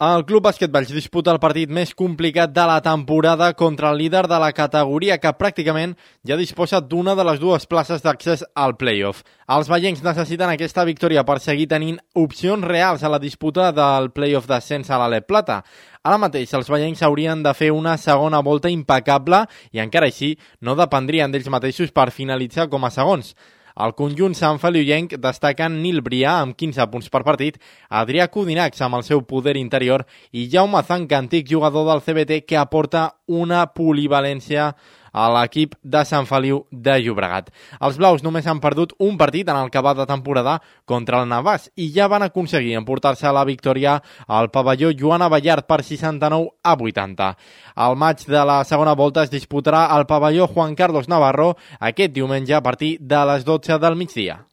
El Club Bàsquet Valls disputa el partit més complicat de la temporada contra el líder de la categoria, que pràcticament ja disposa d'una de les dues places d'accés al play-off. Els vallencs necessiten aquesta victòria per seguir tenint opcions reals a la disputa del play-off d'ascens a l'Alep Plata. Ara mateix els vallencs haurien de fer una segona volta impecable i encara així no dependrien d'ells mateixos per finalitzar com a segons. El conjunt santfeliuenc destaquen Nil Brià amb 15 punts per partit, Adrià Codinacs amb el seu poder interior i Jaume Zanca, antic jugador del CBT, que aporta una polivalència a l'equip de Sant Feliu de Llobregat. Els blaus només han perdut un partit en el que va de temporada contra el Navàs i ja van aconseguir emportar-se la victòria al pavelló Joan Abellart per 69-80. El maig de la segona volta es disputarà al pavelló Juan Carlos Navarro aquest diumenge a partir de les 12 del migdia.